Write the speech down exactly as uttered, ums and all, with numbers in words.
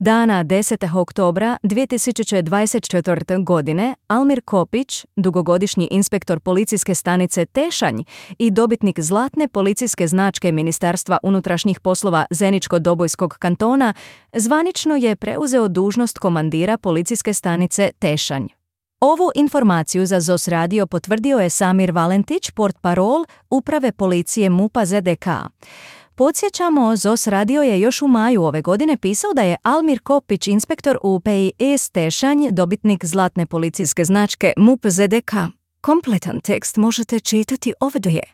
Dana desetog oktobra dvije tisuće dvadeset četvrte. godine Almir Kopić, dugogodišnji inspektor policijske stanice Tešanj i dobitnik zlatne policijske značke Ministarstva unutrašnjih poslova Zeničko-Dobojskog kantona, zvanično je preuzeo dužnost komandira policijske stanice Tešanj. Ovu informaciju za Zos radio potvrdio je Samir Valentić, portparol Uprave policije MUP-a Z D K. Podsjećamo, Zos radio je još u maju ove godine pisao da je Almir Kopić, inspektor u P I S Tešanj, dobitnik zlatne policijske značke MUP Z D K. Kompletan tekst možete čitati ovdje.